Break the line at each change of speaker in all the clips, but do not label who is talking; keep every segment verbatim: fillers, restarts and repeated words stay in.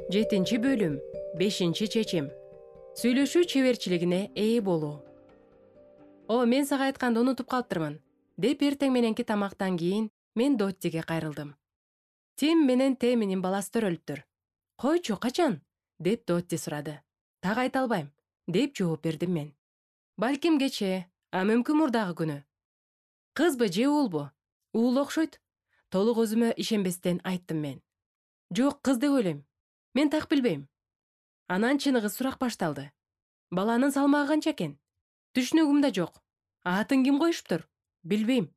Жетинчи бөлүм. Бешинчи чечим. Сүйлөшүү чеберчилигине ээ болуу. О, мен сага айтканды унутуп калыптырмын, деп эртең мененки тамактан кийин мен Доттиге кайрылдым. Тим менен Теминин баласы төрөлүптүр. Койчу, качан? деп Дотти сурады. Так айта албайм, деп жооп бердим мен. Балким кечээ, а мүмкүн мурдагы күнү. Кызбы же уулбу? Уул окшойт. Толук өзүмө ишенбестен айттым мен. Жок, кыз деп ойлойм. Мен так билбейм. Анан чыныгы сурак башталды. Баланын салмагы канча экен? Түшүнүгүмдө жок. Атын ким коюшуптур? Билбейм.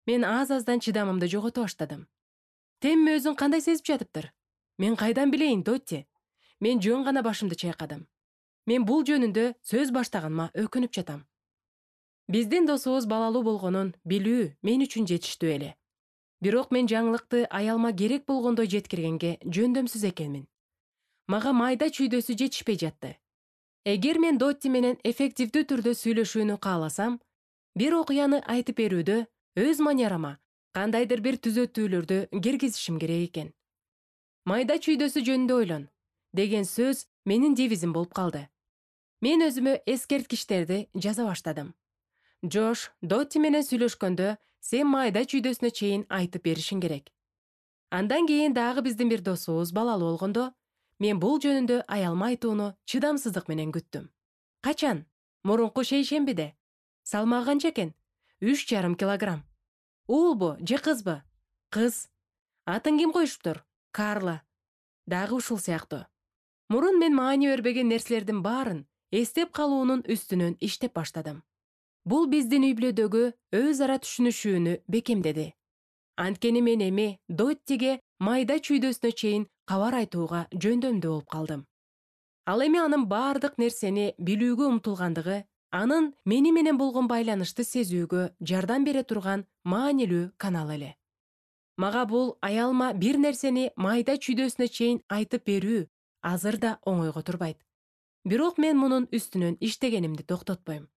Мен аз-аздан чыдамымды жогото баштадым. Тем өзүн кандай сезип жатыптыр? Мен кайдан билейин, Дотти? Мен жөн гана башымды чайкадым. Мен бул жөнүндө сөз баштаганыма өкүнүп жатам. Биздин досубуз балалуу болгонун билүү мен үчүн жетиштүү эле. Бирок мен жаңылыкты аялыма керек болгондой жеткиргенге жөндөмсүз экенмин. Мага майда чүйдөсү жетишпей жатты. Эгер мен Дотти менен эффективдүү түрдө сүйлөшүүнү кааласам, бир окуяны айтып берүүдө өз манерама кандайдыр бир түзөтүүлөрдү киргизишим керек экен. Майда чүйдөсү жөнүндө ойлон деген сөз менин девизим болуп калды. Мен өзүмө эскерткичтерди жаза баштадым. Жош, Дотти менен сүйлөшкөндө сен майда чүйдөсүнө чейин айтып беришиң керек. Андан кийин дагы биздин бир досубуз балалуу болгондо, мен бул жөнүндө аялыма айтууну чыдамсыздык менен күттүм. Качан? Мурунку шейшембиде. Салмагы канча экен? Үч жарым килограмм. Уулбу же кызбы? Кыз. Атын ким коюшуптур? Карла. Дагы ушул сыяктуу. Мурун мен маани бербеген нерселердин баарын эстеп калуунун үстүнөн иштеп баштадым. Бул биздин үй бүлөдөгү өз ара түшүнүшүүнү бекемдеди. Анткени мен эми Доттиге майда чүйдөсүнө чейин кабар айтууга жөндөмдүү болуп калдым. Ал эми анын баардык нерсени билүүгө умтулгандыгы, анын мени менен болгон байланышты сезүүгө жардам бере турган маанилүү канал эле. Мага бул аялыма бир нерсени майда чүйдөсүнө чейин айтып берүү азыр да оңойго турбайт. Бирок мен мунун үстүнөн иштегенимди токтотпойм.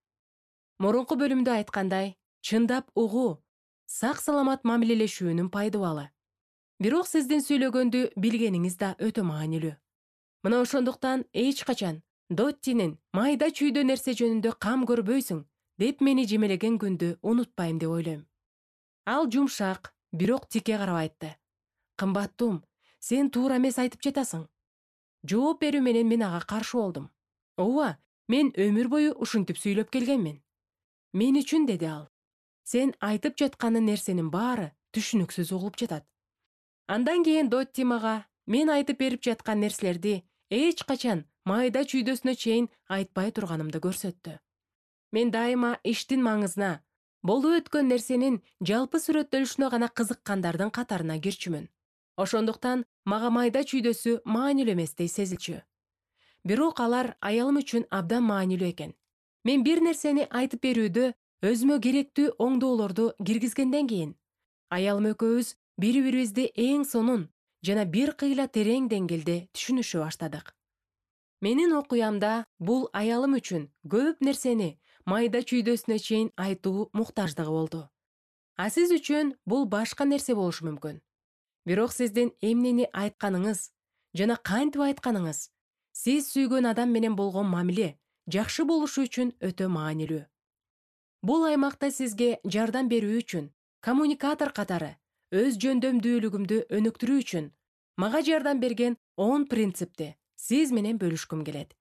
Мурунку бөлүмдө айткандай, чындап угуу, сак-саламат мамилелешүүнүн пайдубалы. Бирок сиздин сүйлөгөндү билгениңиз да өтө маанилүү. Мына ошондуктан эч качан Доттинин майда чүйдө нерсе жөнүндө кам көрбөйсүң деп мени жемелеген күндү унутпайм деп ойлойм. Ал жумшак, бирок тикке карап айтты. Кымбаттуум, сен туура эмес айтып жатасың. Жооп берүү менен мен ага каршы болдум. Ооба, мен өмүр бою ушинтип сүйлөп келгенмин. Мен үчүн, деди ал, сен айтып жатканы нерсенин баары түшүнүксүз угулуп жатат. Андан кийин Дотти мага мен айтып берип жаткан нерселерди эч качан майда чүйдөсүнө чейин айтпай турганымды көрсөттү. Мен дайыма иштин маңызына, болуп өткөн нерсенин жалпы сүрөттөлүшүнө гана кызыккандардын катарына кирчүмүн. Ошондуктан мага майда чүйдөсү маанилүү эместей сезилчү. Бирок алар аялым үчүн абдан маанилүү экен. Мен бир нерсени айтып берүүдө өзүмө керектүү оңдоолорду киргизгенден кийин, аялым экөөбүз бири-бирибизди эң сонун жана бир кыйла терең деңгээлде түшүнүшө баштадык. Менин окуямда бул аялым үчүн көп нерсени майда чүйдөсүнө чейин айтуу муктаждыгы болду. А сиз үчүн бул башка нерсе болушу мүмкүн. Бирок сиздин эмнени айтканыңыз жана кантип айтканыңыз сиз сүйгөн адам менен болгон мамиле жакшы болушу үчүн өтө маанилүү. Бул аймакта сизге жардам берүү үчүн, коммуникатор катары өз жөндөмдүүлүгүмдү өнүктүрүү үчүн мага жардам берген он принципти сиз менен бөлүшкүм келет.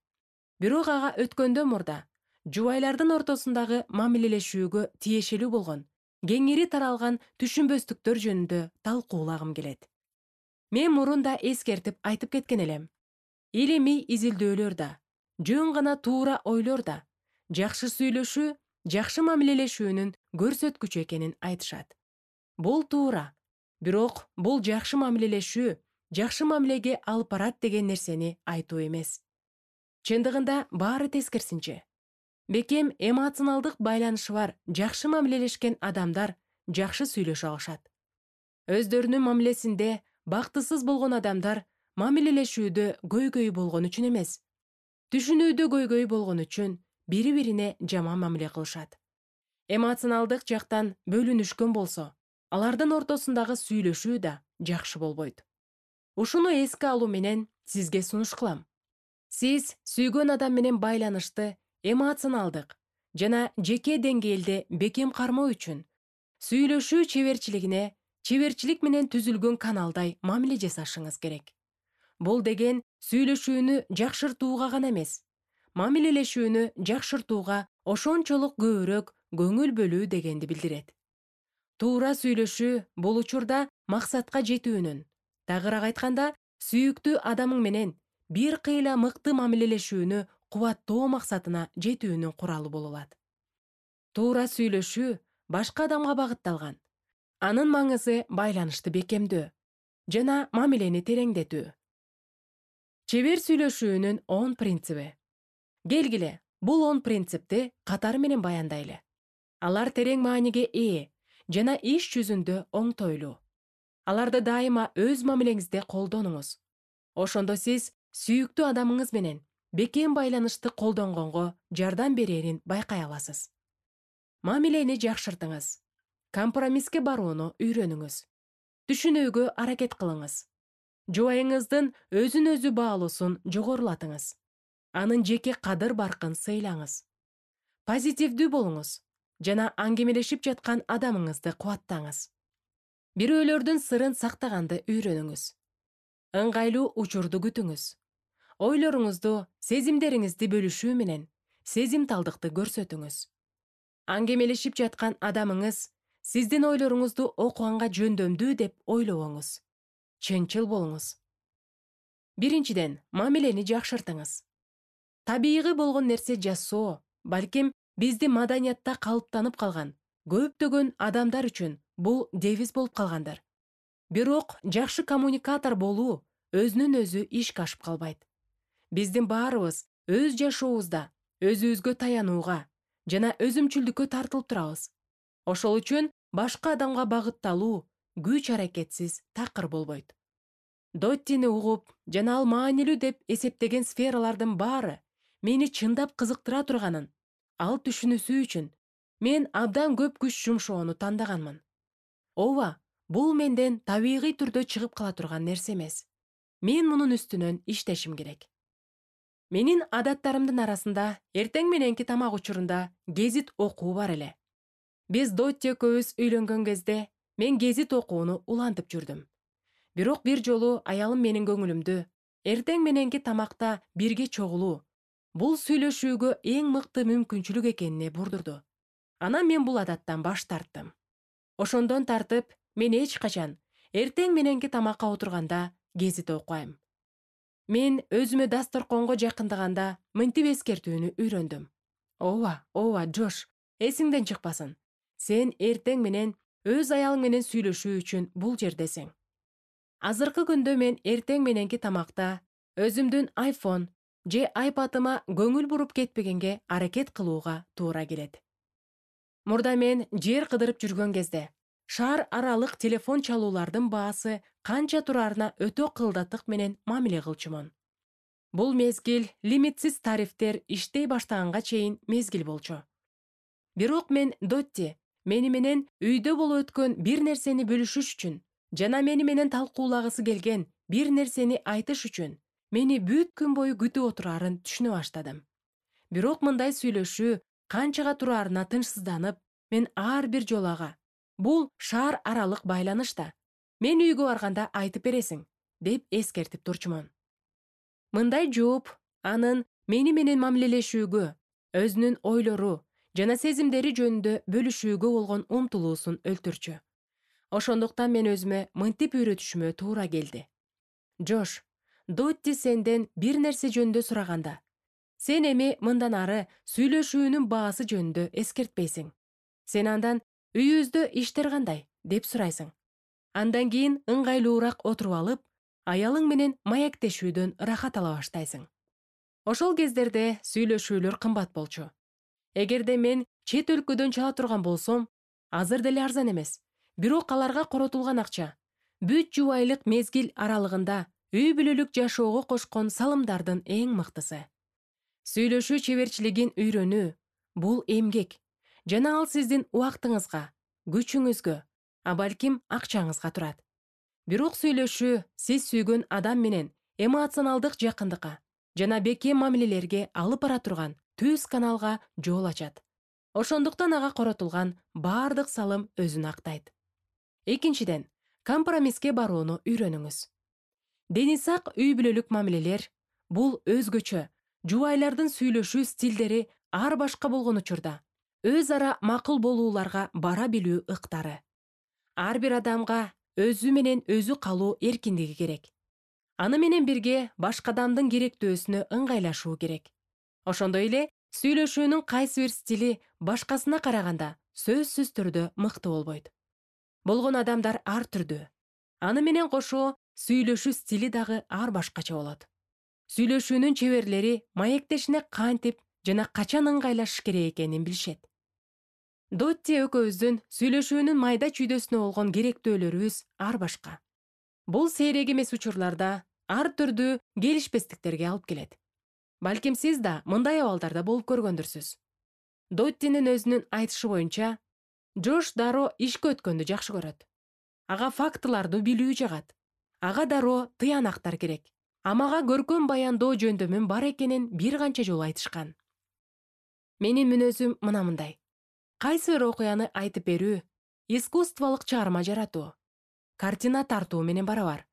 Бирок ага өткөндөн мурда жубайлардын ортосундагы мамилелешүүгө тиешелүү болгон кеңири таралган түшүнбөстүктөр жөнүндө талкуулагым келет. Мен мурун да эскертип айтып кеткен элем. Илимий изилдөөлөр да, жөн гана туура ойлор да жакшы сүйлөшүү, жакшы мамилелешүүнүн көрсөткүчү экенин айтышат. Бул туура. Бирок бул жакшы мамилелешүү жакшы мамилеге алып барат деген нерсени айтуу эмес. Чындыгында баары тескерисинче. Бекем эмоционалдык байланышы бар жакшы мамилелешкен адамдар жакшы сүйлөшө алышат. Өздөрүнүн мамилесинде бактысыз болгон адамдар мамилелешүүдө көйгөй болгон үчүн эмес, түшүнүүдө көйгөй болгон үчүн бири-бирине жаман мамиле кылышат. Эмоционалдык жактан бөлүнүшкөн болсо, алардын ортосундагы сүйлөшүү да жакшы болбойт. Ушуну эске алуу менен сизге сунуш кылам. Сиз сүйгөн адам менен байланышты эмоционалдык жана жеке деңгээлде бекем кармоо үчүн сүйлөшүү чеберчилигине чеберчилик менен түзүлгөн каналдай мамиле жасашыңыз керек. Бул деген сүйлөшүүнү жакшыртууга гана эмес, мамилелешүүнү жакшыртууга ошончолук көбүрөөк көңүл бөлүү дегенди билдирет. Туура сүйлөшүү бул учурда максатка жетүүнүн, тагыраак айтканда, сүйүктүү адамың менен бир кыйла мыкты мамилелешүүнү кубаттоо максатына жетүүнүн куралы боло алат. Туура сүйлөшүү башка адамга багытталган. Анын маңызы байланышты бекемдөө жана мамилени тереңдетүү. Чебер сүйлөшүүнүн он принциби. Келгиле, бул он принципти катары менен баяндайлы. Алар терең мааниге ээ жана иш жүзүндө оңтойлуу. Аларды дайыма өз мамилеңизде колдонуңуз. Ошондо сиз сүйүктүү адамыңыз менен бекем байланышты колдонгонго жардам берерин байкай аласыз. Мамилени жакшыртыңыз. Компромисске барууну үйрөнүңүз. Түшүнүүгө аракет кылыңыз. Жубайыңыздын өзүн өзү баалуусун жогорулатыңыз. Анын жеке кадыр баркын сыйлаңыз. Позитивдүү болуңуз жана аңгемелешип жаткан адамыңызды кубаттаңыз. Бирөөлөрдүн сырын сактаганды үйрөнүңүз. Ыңгайлуу учурду күтүңүз. Ойлоруңузду, сезимдериңизди бөлүшүү менен сезимталдыкты көрсөтүңүз. Аңгемелешип жаткан адамыңыз сиздин ойлоруңузду окуганга жөндөмдүү деп ойлобоңуз. Чынчыл болуңуз. Биринчиден, мамилени жакшыртыңыз. Табигый болгон нерсе жасоо, балким бизди маданиятта калыптанып калган көптөгөн адамдар үчүн бул девиз болуп калгандыр. Бирок жакшы коммуникатор болуу өзүнөн өзү ишке ашып калбайт. Биздин баарыбыз өз жашообузда өзүбүзгө таянууга жана өзүмчүлдүккө тартылып турабыз. Ошол үчүн башка адамга багытталуу күч аракетсиз такыр болбойт. Доттини угуп жана ал маанилүү деп эсептеген сфералардын баары мени чындап кызыктыра турганын ал түшүнүсү үчүн мен абдан көп күч жумшоону тандаганмын. Ооба, бул менден табигый түрдө чыгып кала турган нерсе эмес. Мен мунун үстүнөн иштешим керек. Менин адаттарымдын арасында эртең мененки тамак учурунда гезит окуу бар эле. Биз Дотти экөөбүз үйлөнгөн кезде мен гезит окууну улантып жүрдүм. Бирок бир жолу аялым менин көңүлүмдү эртең мененки тамакта бирге чогулуу бул сүйлөшүүгө эң мыкты мүмкүнчүлүк экенине бурдурду. Анан мен бул адаттан баш тарттым. Ошондон тартып, мен эч качан эртең мененки тамакка отурганда гезит окуйм. Мен өзүмө дасторконго жакындаганда мынтип эскертүүнү үйрөндүм. Ооба, ооба, Джош, эсиңден чыкпасын. Сен эртең менен өз аялың менен сүйлөшүү үчүн бул жердесиң. Азыркы күндө мен эртең мененки тамакта өзүмдүн айфон же айпадыма көңүл буруп кетпегенге аракет кылууга туура келет. Мурда мен жер кыдырып жүргөн кезде шаар аралык телефон чалуулардын баасы канча турарына өтө кылдаттык менен мамиле кылчумун. Бул мезгил лимитсиз тарифтер иштей баштаганга чейин мезгил болчу. Бирок мен Дотти мени менен үйдө болуп өткөн бир нерсени бөлүшүш үчүн жана мени менен талкуулагысы келген бир нерсени айтыш үчүн мени бүт күн бою күтүп отурарын түшүнө баштадым. Бирок мындай сүйлөшүү канчага турарына тынчсызданып, мен ар бир жолу ага бул шаар аралык байланыш да. Мен үйгө барганда айтып бересиң, деп эскертип турчумун. Мындай жооп анын мени менен мамилелешүүгө, өзүнүн ойлору жана сезимдери жөнүндө бөлүшүүгө болгон умтулуусун өлтүрчү. Ошондуктан мен өзүмө мынтип үйрөтүшүмө туура келди. Джош, Дотти сенден бир нерсе жөнүндө сураганда, сен эми мындан ары сүйлөшүүнүн баасы жөнүндө эскертпейсиң. Сен андан үйүбүздө иштер кандай деп сурайсың. Андан кийин ыңгайлуураак отуруп алып, аялың менен маектешүүдөн рахат ала баштайсың. Ошол кездерде сүйлөшүүлөр кымбат болчу. Эгерде мен чет өлкөдөн чала турган болсом, азыр деле арзан эмес. Бирок аларга коротулган акча бүт жубайлык мезгил аралыгында үй бүлөлүк жашоого кошкон салымдардын эң мыктысы. Сүйлөшүү чеберчилигин үйрөнүү бул эмгек жана ал сиздин убактыңызга, күчүңүзгө, а балким акчаңызга турат. Бирок сүйлөшүү сиз сүйгөн адам менен эмоционалдык жакындыкка жана бекем мамилелерге алып бара турган түз каналга жол ачат. Ошондуктан ага коротулган бардык салым өзүн актайт. Экинчиден, компромисске барууну үйрөнүңүз. Дени сак үй бүлөлүк мамилелер бул өзгөчө, жубайлардын сүйлөшүү стилдери ар башка болгон учурда өз ара макул болууларга бара билүү ыктары. Ар бир адамга өзү менен өзү калуу эркиндиги керек. Аны менен бирге башка адамдын керектөөсүнө ыңгайлашуу керек. Ошондой эле сүйлөшүүнүн кайсы бир стили башкасына караганда сөзсүз түрдө мыкты болбойт. Болгон адамдар ар түрдүү. Аны менен кошо сүйлөшүү стили дагы ар башкача болот. Сүйлөшүүнүн чеберлери маектешине кантип жана качан ыңгайлашыш керек экенин билишет. Дотти экөөбүздүн сүйлөшүүнүн майда чүйдөсүнө болгон керектөөлөрүбүз ар башка. Бул сейрек эмес учурларда ар түрдүү келишпестиктерге алып келет. Балким сиз да мындай абалдарда болуп көргөндүрсүз. Доттинин өзүнүн айтышы боюнча, Жош дароо ишке өткөндү жакшы көрөт. Ага фактыларды билүү жагат. Ага дароо тыянактар керек. Амага көркөм баяндоо жөндөмүм бар экенин бир канча жолу айтышкан. Менин мүнөзүм мына мындай. Кайсы бир окуяны айтып берүү искусстволук чыгарма жаратуу, картина тартуу менен барабар.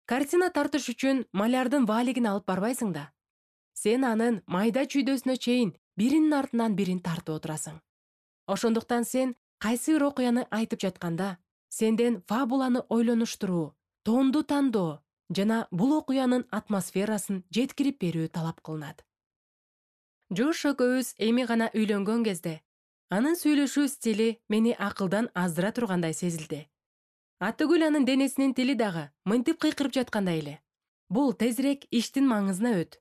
Картина тартыш үчүн малярдын валигин алып барбайсың да. Сен анын майда чүйдөсүнө чейин биринин артынан бирин тартып отурасың. Ошондуктан сен кайсы бир окуяны айтып жатканда, сенден фабуланы ойлонуштуруу, тоонду тандоо жана бул окуянын атмосферасын жеткирип берүү талап кылынат. Жош экөөбүз эми гана үйлөнгөн кезде анын сүйлөшүү стили мени акылдан аздыра тургандай сезилди. Атыгүл анын денесинин тили дагы мынтип кыйкырып жаткандай эле. Бул тезирээк иштин маңызына өт.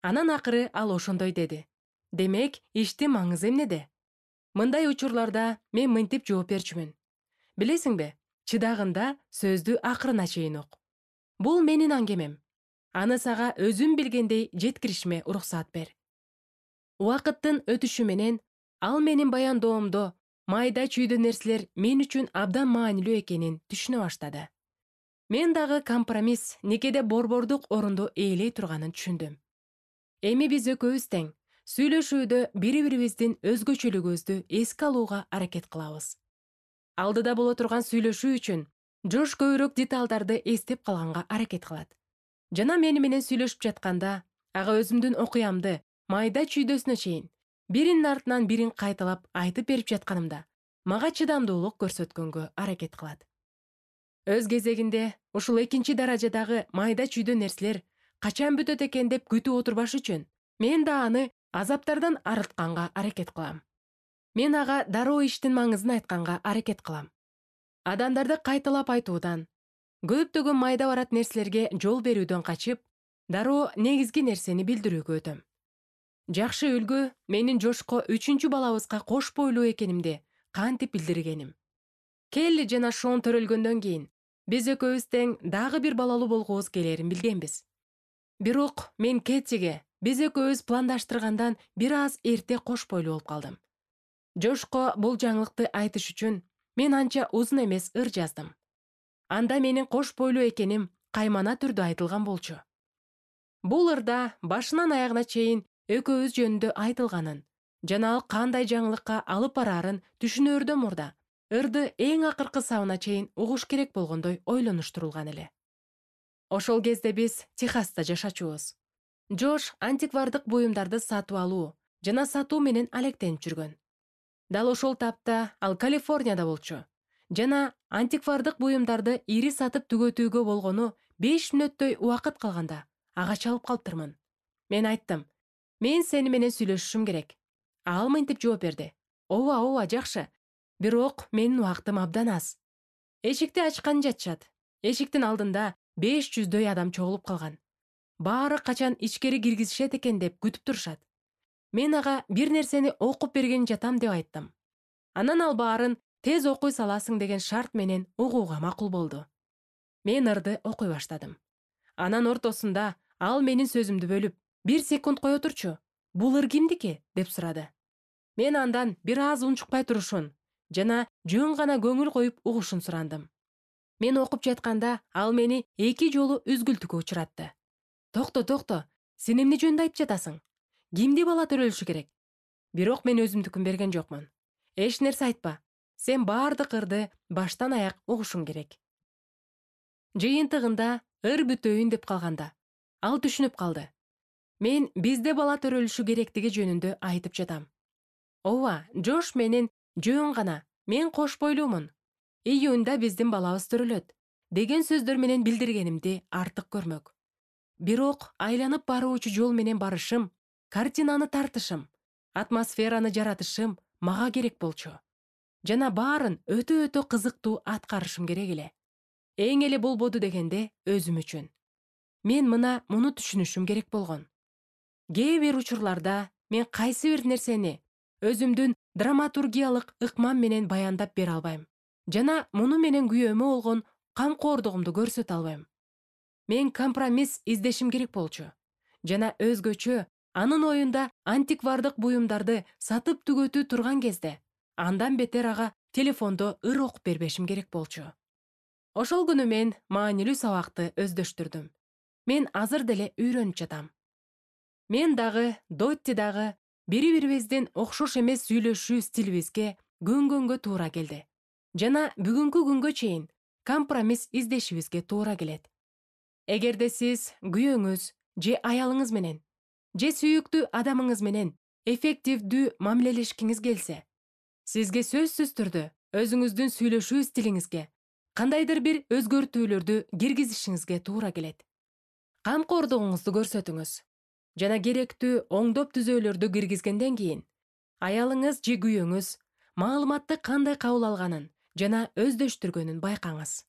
Анан акыры ал ошондой деди. Демек, иштин маңызы эмнеде? Мындай учурларда мен мынтип жооп берчүмүн. Билесиңби, чыдагында сөздү акырына чейин ук. Бул менин аңгемем. Аны сага өзүм билгендей жеткиришиме уруксаат бер. Убакыттын өтүшү менен ал менин баяндоомдо майда чүйдө нерселер мен үчүн абдан маанилүү экенин түшүнө баштады. Мен дагы компромисс никеде борбордук орунду ээлей турганын түшүндүм. Эми биз экөөбүз тең сүйлөшүүдө бири-бирибиздин өзгөчөлүгүбүздү эске алууга аракет кылабыз. Алдыда боло турган сүйлөшүү үчүн Жош көбүрөөк деталдарды эстеп калганга аракет кылат. Жана мени менен сүйлөшүп жатканда, ага өзүмдүн окуямды майда чүйдөсүнө чейин биринин артынан бирин кайталап айтып берип жатканымда, мага чыдамдуулук көрсөткөнгө аракет кылат. Өз кезегинде, ушул экинчи даражадагы майда чүйдө нерселер качан бүтөт экен деп күтүп отурбаш үчүн, мен да аны азаптардан арылтканга аракет кылам. Мен ага дароо иштин маңызын айтканга аракет кылам. Адамдарды кайталап айтуудан, көптөгөн майда барат нерселерге жол берүүдөн качып, дароо негизги нерсени билдирүүгө өтөм. Жакшы үлгү менин Жошко үчүнчү балабызга кош бойлуу экенимди кантип билдиргеним. Келли жана Шон төрөлгөндөн кийин биз экөөбүз тең дагы бир балалуу болгубуз келерин билгенбиз. Бирок мен Кэтиге биз экөөбүз пландаштыргандан бир аз эрте кош бойлуу болуп калдым. Жошко бул жаңылыкты айтыш үчүн мен анча узун эмес ыр жаздым. Анда менин кош бойлуу экеним каймана түрдө айтылган болчу. Бул ырда башынан аягына чейин экөөбүз жөнүндө айтылганын жана ал кандай жаңылыкка алып бараарын түшүнөөрдөн мурда ырды эң акыркы сабына чейин угуш керек болгондой ойлонуштурулган эле. Ошол кезде биз Техаста жашачубуз. Жош антиквардык буюмдарды сатып алуу жана сатуу менен алектенип жүргөн. Дал ошол тапта ал Калифорнияда болчу жана антиквардык буюмдарды ири сатып түгөтүүгө болгону беш мүнөттөй убакыт калганда ага чалып калыптырмын. Мен айттым, мен сени менен сүйлөшүшүм керек. Ал мынтип жооп берди. Ооба, ооба, жакшы. Бирок менин убактым абдан аз. Эшикти ачкан жатышат. Эшиктин алдында беш жүздөй адам чогулуп калган. Баары качан ичкери киргизишет экен деп күтүп турушат. Мен ага бир нерсени окуп берген жатам деп айттым. Анан ал баарын тез окуй саласың деген шарт менен угууга макул болду. Мен ырды окуй баштадым. Анан ортосунда ал менин сөзүмдү бөлүп, бир секунд кое турчу, бул ыр кимдики деп сурады. Мен андан бир аз унчукпай турушун жана жөн гана көңүл коюп угушун сурандым. Мен окуп жатканда ал мени эки жолу үзгүлтүккө учуратты. Токто, токто, сен эмне жөнүндө айтып жатасың? Кимди бала төрөлүшү керек? Бирок мен өзүмдүкүн берген жокмун. Эч нерсе айтпа. Сен баардык ырды баштан аяк угушуң керек. Жыйынтыгында ыр бүтөйүн деп калганда, ал түшүнүп калды. Мен бизде бала төрөлүшү керектиги жөнүндө айтып жатам. Ооба, Жош менен жөн гана, мен кош бойлуумун. Июнда биздин балабыз төрөлөт деген сөздөр менен билдиргенимди артык көрмөк. Бирок айланып баруучу жол менен барышым, картинаны тартышым, атмосфераны жаратышым мага керек болчу. Жана баарын өтө-өтө кызыктуу аткарышым керек эле. Эң эле болбоду дегенде өзүм үчүн. Мен мына муну түшүнүшүм керек болгон. Кээ бир учурларда мен кайсы бир нерсени өзүмдүн драматургиялык ыкмам менен баяндап бере албайм. Жана муну менен күйөөмө болгон камкордугумду көрсөтө албайм. Мен компромисс издешим керек болчу. Жана өзгөчө анын оюнда антиквардык буюмдарды сатып түгөтүү турган кезде, андан бетер ага телефондо ыр окуп бербешим керек болчу. Ошол күнү мен маанилүү сабакты өздөштүрдүм. Мен азыр деле үйрөнүп жатам. Мен дагы, Дотти дагы бири-бирибиздин окшош эмес сүйлөшүү стилибизге көнгөнгө туура келди. Жана бүгүнкү күнгө чейин компромисс издешибизге туура келет. Эгерде сиз күйөөңүз же аялыңыз менен, же сүйүктүү адамыңыз менен эффективдүү мамилелешкиңиз келсе, сизге сөзсүз түрдө өзүңүздүн сүйлөшүү стилиңизге кандайдыр бир өзгөртүүлөрдү киргизишиңизге туура келет. Камкордугуңузду көрсөтүңүз жана керектүү оңдоп түзөөлөрдү киргизгенден кийин аялыңыз же күйөөңүз маалыматты кандай кабыл алганын жана өздөштүргөнүн байкаңыз.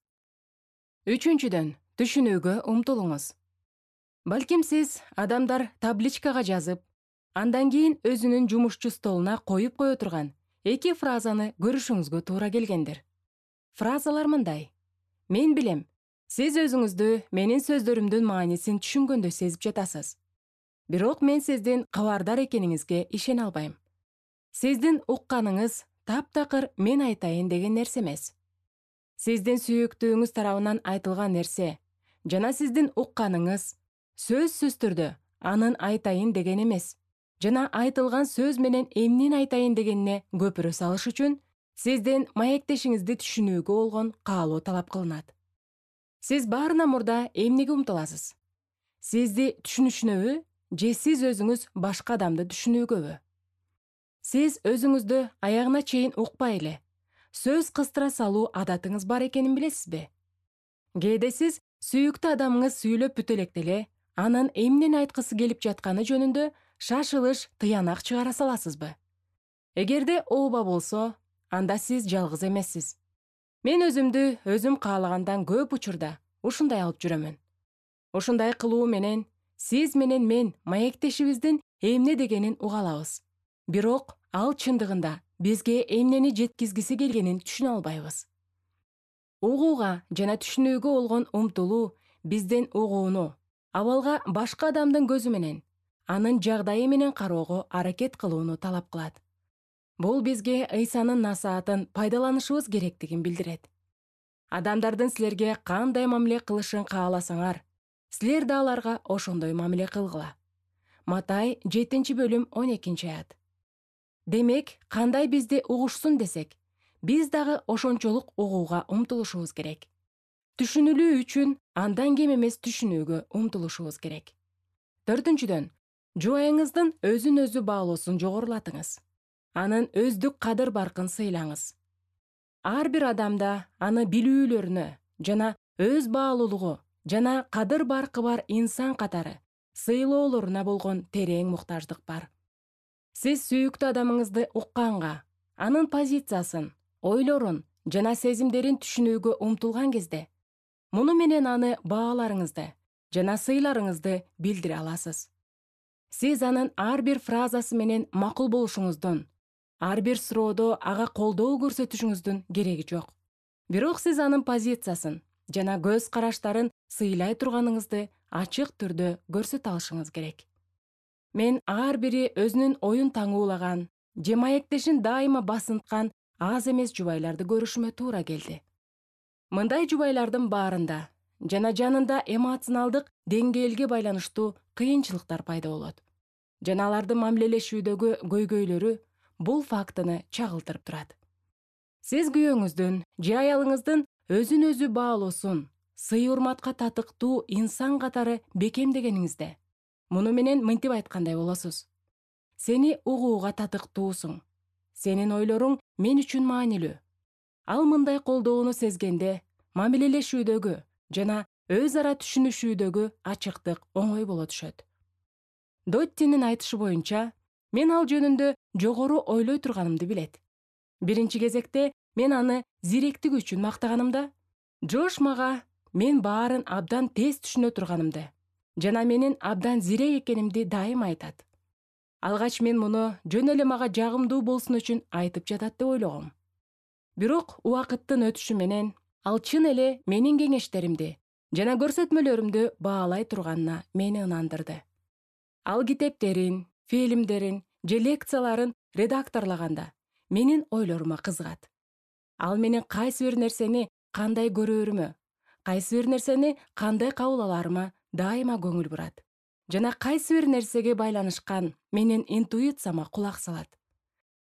Үчүнчүдөн, түшүнүүгө умтулуңуз. Балким сиз адамдар табличкага жазып, андан кийин өзүнүн жумушчу столуна коюп кое турган эки фразаны көрүшүңүзгө туура келгендир. Фразалар мындай: мен билем, сиз өзүңүздү менин сөздөрүмдүн маанисин түшүнгөндөй сезип жатасыз. Бирок мен сиздин кабардар экениңизге ишене албайм. Сиздин укканыңыз таптакыр мен айтайын деген нерсе эмес. Сиздин сүйүктүүңүз тарабынан айтылган нерсе жана сиздин укканыңыз сөзсүз түрдө анын айтайын деген эмес. Жана айтылган сөз менен эмнени айтайын дегенине көпүрө салыш үчүн сиздин маектешиңизди түшүнүүгө болгон каалоо талап кылынат. Сиз баарынан мурда эмнеге умтуласыз? Сизди түшүнүшүнөбү же сиз өзүңүз башка адамды түшүнүүгөбү? Сиз өзүңүздү аягына чейин укпай эле сөз кыстыра салуу адатыңыз бар экенин билесизби? Кээде сиз сүйүктүү адамыңыз сүйлөп бүтө электе эле анын эмнени айткысы келип жатканы жөнүндө шашылыш, тыянак чыгара саласызбы? Эгерде ооба болсо, анда сиз жалгыз эмессиз. Мен өзүмдү өзүм каалагандан көп учурда ушундай алып жүрөмүн. Ушундай кылуу менен сиз менен мен маектешибиздин эмне дегенин уга алабыз. Бирок ал чындыгында бизге эмнени жеткизгиси келгенин түшүнө албайбыз. Угууга жана түшүнүүгө болгон умтулуу биздин угууну абалга башка адамдын көзү менен, анын жагдайы менен кароого аракет кылууну талап кылат. Бул бизге Ыйсанын насаатын пайдаланышыбыз керектигин билдирет. Адамдардын силерге кандай мамиле кылышын кааласаңар, силер да аларга ошондой мамиле кылгыла. Матай жетинчи бөлүм он экинчи аят. Демек, кандай бизди угушсун десек, биз дагы ошончолук угууга умтулушубуз керек. Түшүнүлүү үчүн андан кем эмес түшүнүүгө умтулушубуз керек. Төртүнчүдөн, жубайыңыздын өзүн өзү баалоосун жогорулатыңыз. Анын өздүк кадыр баркын сыйлаңыз. Ар бир адамда аны билүүлөрүнө жана өз баалуулугу жана кадыр баркы бар инсан катары сыйлоолоруна болгон терең муктаждык бар. Сиз сүйүктүү адамыңызды укканга, анын позициясын, ойлорун жана сезимдерин түшүнүүгө умтулган кезде, муну менен аны бааларыңызды жана сыйларыңызды билдире аласыз. Сиз анын ар бир фразасы менен макул болушуңуздун, ар бир суроодо ага колдоо көрсөтүшүңүздүн кереги жок. Бирок сиз анын позициясын жана көз караштарын сыйлай турганыңызды ачык түрдө көрсөтө алышыңыз керек. Мен ар бири өзүнүн оюн таңуулаган, же маектешин дайыма басынткан аз эмес жубайларды көрүшүмө туура келди. Мындай жубайлардын баарында жана жанында эмоционалдык деңгээлге байланыштуу кыйынчылыктар пайда болот. Жана алардын мамилелешүүдөгү көйгөйлөрү бул фактыны чагылтырып турат. Сиз күйөөңүздүн же аялыңыздын өзүн өзү баалоосун сый урматка татыктуу инсан катары бекемдегениңизде, муну менен мынтип айткандай болосуз: сени угууга татыктуусуң. Сенин ойлоруң мен үчүн маанилүү. Ал мындай колдоону сезгенде мамилелешүүдөгү жана өз ара түшүнүшүүдөгү ачыктык оңой боло түшөт. Доттинин айтышы боюнча, мен ал жөнүндө жогору ойлой турганымды билет. Биринчи кезекте мен аны зиректиги үчүн мактаганымда, Джош мага мен баарын абдан тез түшүнө турганымды жана менин абдан зирек экенимди дайыма айтат. Алгач мен муну жөн эле мага жагымдуу болсун үчүн айтып жатат деп ойлогом. Бирок убакыттын өтүшү менен ал чын эле менин кеңештеримди жана көрсөтмөлөрүмдү баалай турганына мени ынандырды. Ал китептерин, фильмдерин же лекцияларын редакторлаганда менин ойлорума кызыгат. Ал менин кайсы бир нерсени кандай көрөөрүмө, кайсы бир нерсени кандай кабыл аларыма дайыма көңүл бурат жана кайсы бир нерсеге байланышкан менин интуицияма кулак салат.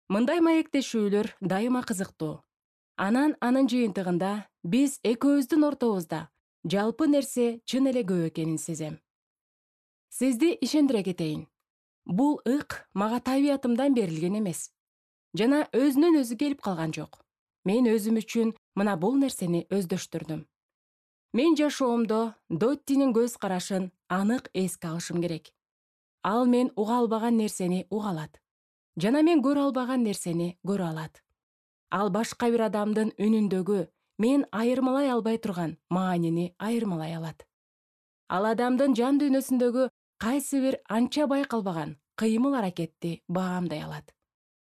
Мындай маектешүүлөр дайыма кызыктуу. Анан анын жыйынтыгында биз экөөбүздүн ортобузда жалпы нерсе чын эле көп экенин сезем. Сизди ишендире кетейин. Бул ык мага табиятымдан берилген эмес жана өзүнөн өзү келип калган жок. Мен өзүм үчүн мына бул нерсени өздөштүрдүм. Мен жашоомдо Доттинин көз карашын анык эске алышым керек. Ал мен уга албаган нерсени уга алат жана мен көрө албаган нерсени көрө алат. Ал башка бир адамдын үнүндөгү мен айырмалай албай турган маанини айырмалай алат. Ал адамдын жан дүйнөсүндөгү кайсы бир анча байкалбаган кыймыл аракетти баамдай алат.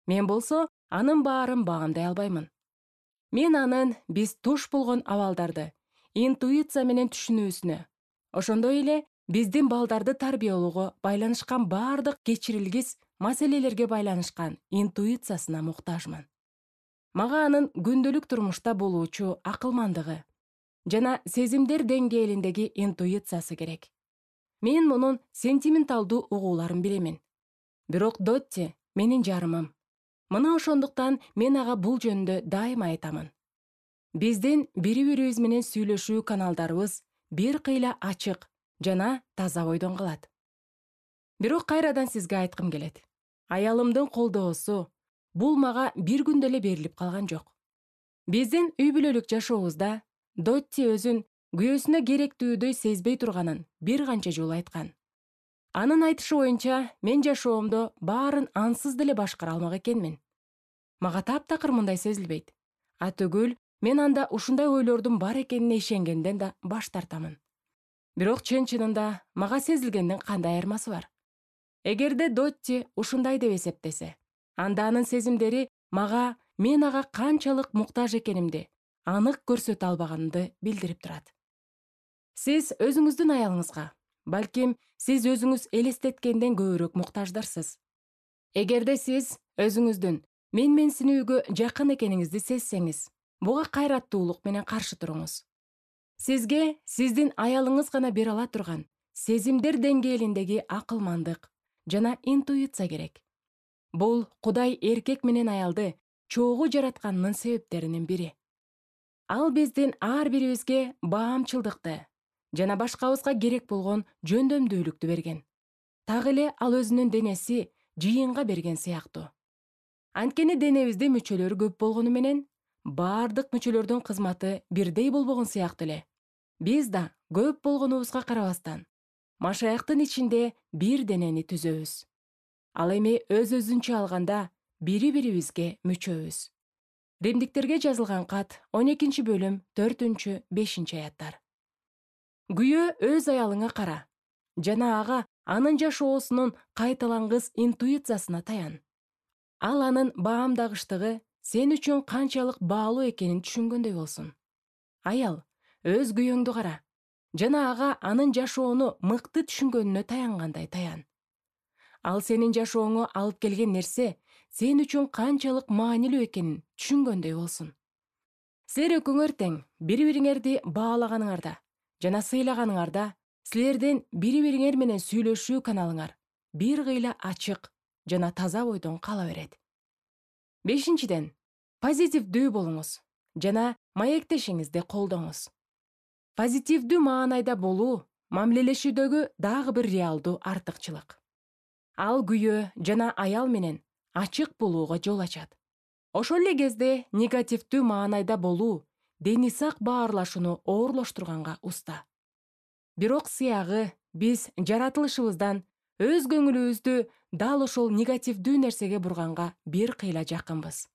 Мен болсо анын баарын баамдай албаймын. Мен анын биз туш болгон абалдарды интуиция менен түшүнүүсүнө, ошондой эле биздин балдарды тарбиялоого байланышкан баардык кечирилгис маселелерге байланышкан интуициясына муктажмын. Мага анын күндөлүк турмушта болуучу акылмандыгы жана сезимдер деңгээлиндеги интуициясы керек. Мен мунун сентименталдуу угууларын билемин. Бирок Дотти менин жарымым. Мына ошондуктан мен ага бул жөнүндө дайыма айтамын. Биздин бири-бирибиз менен сүйлөшүү каналдарыбыз бир кыйла ачык жана таза бойдон калат. Бирок кайрадан сизге айткым келет. Аялымдын колдоосу бул мага бир күндө эле берилип калган жок. Биздин үй бүлөлүк жашообузда Дотти өзүн күйөөсүнө керектүүдөй сезбей турганын бир канча жолу айткан. Анын айтышы боюнча, мен жашоомдо баарын ансыз деле башкара алмак экенмин. Мага таптакыр мындай сезилбейт. Атүгүл, мен анда ушундай ойлордун бар экенине ишенгенден да баш тартамын. Бирок чын-чынында мага сезилгендин кандай айырмасы бар? Эгерде Дотти ушундай деп эсептесе, анда анын сезимдери мага мен ага канчалык муктаж экенимди анык көрсөтө албаганымды билдирип турат. Сиз өзүңүздүн аялыңызга, балким сиз өзүңүз элестеткенден көбүрөөк муктаждарсыз. Эгерде сиз өзүңүздүн мен-менсинүүгө жакын экениңизди сезсеңиз, буга кайраттуулук менен каршы туруңуз. Сизге сиздин аялыңыз гана бере ала турган сезимдер деңгээлиндеги акылмандык жана интуиция керек. Бул Кудай эркек менен аялды чогуу жаратканынын себептеринин бири. Ал биздин ар бирибизге баамчылдыкты жана башкабызга керек болгон жөндөмдүүлүктү берген. Так эле ал өзүнүн денеси жыйынга берген сыяктуу. Анткени денебиздин мүчөлөрү көп болгону менен баардык мүчөлөрдүн кызматы бирдей болбогон сыяктуу эле биз да көп болгонубузга карабастан машаяктын ичинде бир денени түзөбүз. Ал эми өз-өзүнчө алганда бири-бирибизге мүчөбүз. Римдиктерге жазылган кат он экинчи бөлүм төртүнчү бешинчи аяттар. Күйөө өз аялыңа кара жана ага анын жашоосунун кайталангыс интуициясына таян. Ал анын баамдагычтыгы сен үчүн канчалык баалуу экенин түшүнгөндөй болсун. Аял, өз күйөөңдү кара жана ага анын жашоону мыкты түшүнгөнүнө таянгандай таян. Ал сенин жашооңо алып келген нерсе сен үчүн канчалык маанилүү экенин түшүнгөндөй болсун. Силер экөөңөр тең бири-бириңерди баалаганыңарда жана сыйлаганыңарда силердин бири-бириңер менен сүйлөшүү каналыңар бир кыйла ачык жана таза бойдон кала берет. Бешинчиден, позитивдүү болуңуз жана маектешиңизди колдоңуз. Позитивдүү маанайда болуу мамилелешүүдөгү дагы бир реалдуу артыкчылык. Ал күйөө жана аял менен ачык болууга жол ачат. Ошол эле кезде негативдүү маанайда болуу дени сак баарлашууну оорлоштурганга уста. Бирок сыягы биз жаратылышыбыздан өз көңүлүбүздү дал ошол негативдүү нерсеге бурганга бир кыйла жакынбыз.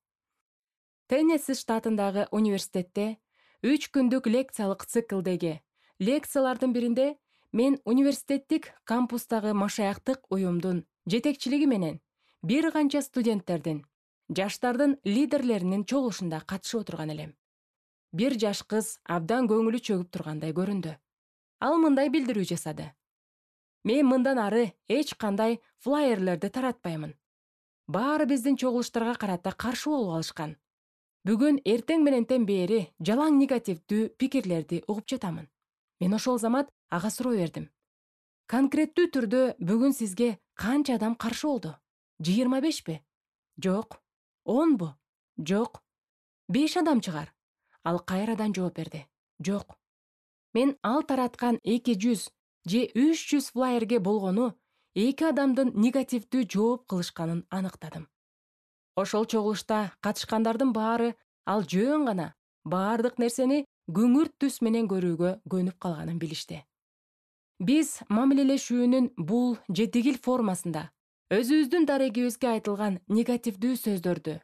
Теннесси штатындагы университетте үч күндүк лекциялык циклдеги лекциялардын биринде мен университеттик кампустагы машаяктык уюмдун жетекчилиги менен бир канча студенттердин, жаштардын лидерлеринин чогулушунда катышып отурган элем. Бир жаш кыз абдан көңүлү чөгүп тургандай көрүндү. Ал мындай билдирүү жасады: мен мындан ары эч кандай флайерлерди таратпаймын. Баары биздин чогулуштарга карата каршы болуп алышкан. Бүгүн эртең менентен бери жалаң негативдүү пикирлерди угуп жатамын. Мен ошол замат ага суроо бердим: конкреттүү түрдө бүгүн сизге канча адам каршы болду? жыйырма бешпи? Жок. онбу? Жок. беш адам чыгар. Ал кайрадан жооп берди: жок. Мен ал тараткан эки жүз же үч жүз флайерге болгону эки адамдын негативдүү жооп кылышканын аныктадым. Ошол чогулушта катышкандардын баары ал жөн гана баардык нерсени күңүрт түс менен көрүүгө көнүп калганын билишти. Биз мамилелешүүнүн бул же тигил формасында өзүбүздүн дарегибизге айтылган негативдүү сөздөрдү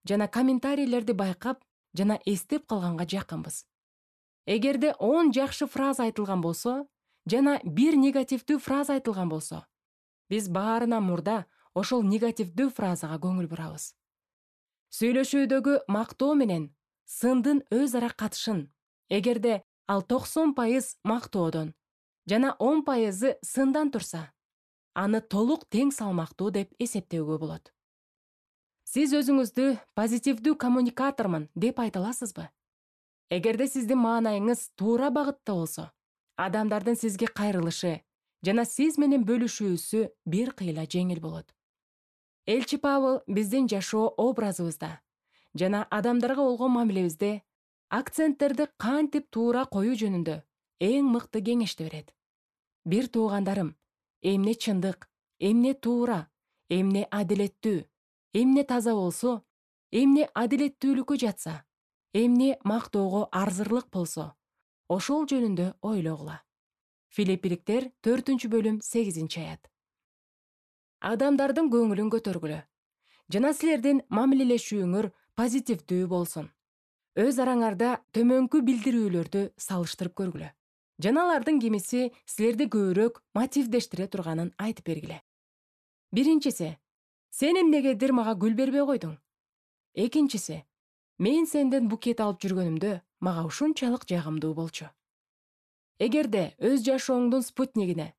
жана комментарийлерди байкап жана эстеп калганга жакынбыз. Эгерде он жакшы фраза айтылган болсо жана бир негативдүү фраза айтылган болсо, биз баарынан мурда ошол негативдүү фразага көңүл бурабыз. Сүйлөшүүдөгү мактоо менен сындын өз ара катышын, эгерде ал токсон пайыз мактоодон жана он пайызы сындан турса, аны толук тең салмактуу деп эсептөөгө болот. Сиз өзүңүздү позитивдүү коммуникатормун деп айта аласызбы? Эгерде сиздин маанайыңыз туура багытта болсо, адамдардын сизге кайрылышы жана сиз менен бөлүшүүсү бир кыйла жеңил болот. Элчи Павыл биздин жашоо образыбызда жана адамдарга болгон мамилебизде акценттерди кантип туура коюу жөнүндө эң мыкты кеңешти берет. Бир туугандарым, эмне чындык, эмне туура, эмне адилеттүү, эмне таза болсо, эмне адилеттүүлүккө жатса, эмне мактоого арзырлык болсо, ошол жөнүндө ойлогула. Филиппиликтер төртүнчү бөлүм сегизинчи аят. Адамдардын көңүлүн көтөргүлө жана силердин мамилелешүүңөр позитивдүү болсун. Өз араңарда төмөнкү билдирүүлөрдү салыштырып көргүлө. Жана алардын кимиси силерди көбүрөөк мотивдештире турганын айтып бергиле. Биринчиси: сен эмнегедир мага гүл бербей койдуң? Экинчиси: мен сенден букет алып жүргөнүмдө мага ушунчалык жагымдуу болчу. Эгерде өз жашооңдун спутнигине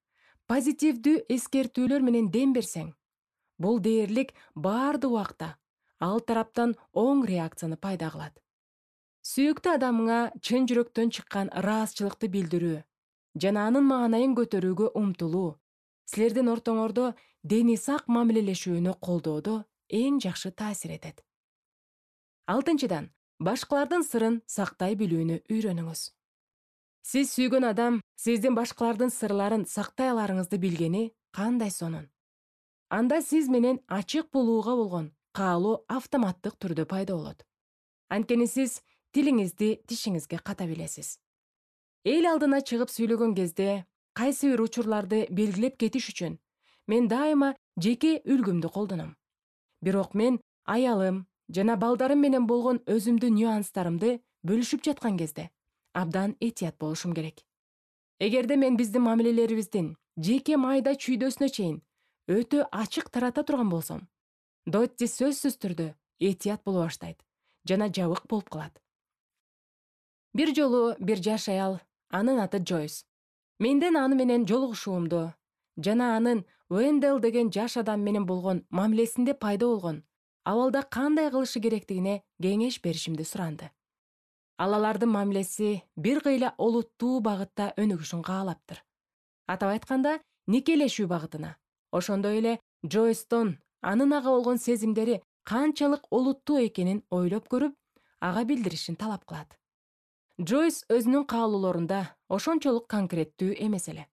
позитивдүү эскертүүлөр менен дем берсең, бул дээрлик баардык убакта ал тараптан оң реакцияны пайда кылат. Сүйүктүү адамыңа чын жүрөктөн чыккан ыраазычылыкты билдирүү жана анын маанайын көтөрүүгө умтулуу силердин ортоңордо дени сак мамилелешүүнү колдоодо эң жакшы таасир этет. Алтынчыдан, башкалардын сырын сактай билүүнү үйрөнүңүз. Сиз сүйгөн адам сиздин башкалардын сырларын сактай аларыңызды билгени кандай сонун. Анда сиз менен ачык болууга болгон каалоо автоматтык түрдө пайда болот. Анткени сиз тилиңизди тишиңизге ката билесиз. Эл алдына чыгып сүйлөгөн кезде кайсы бир учурларды белгилеп кетиш үчүн мен дайыма жеке үлгүмдү колдоном. Бирок мен аялым жана балдарым менен болгон өзүмдүн нюанстарымды бөлүшүп жаткан кезде абдан этият болушум керек. Эгерде мен биздин мамилелерибиздин жеке майда чүйдөсүнө чейин өтө ачык тарата турган болсом, Дотти сөзсүз түрдө этият боло баштайт жана жабык болуп калат. Бир жолу бир жаш аял, анын аты Джойс, менден аны менен жолугушуумду жана анын Уэндел деген жаш адам менен болгон мамилесинде пайда болгон абалда кандай кылышы керектигине кеңеш беришимди суранды. Ал алардын мамилеси бир кыйла олуттуу багытта өнүгүшүн каалаптыр. Атап айтканда, никелешүү багытына. Ошондой эле Джойстон анын ага болгон сезимдери канчалык олуттуу экенин ойлоп көрүп, ага билдиришин талап кылат. Джойс өзүнүн каалоолорунда ошончолук конкреттүү эмес эле.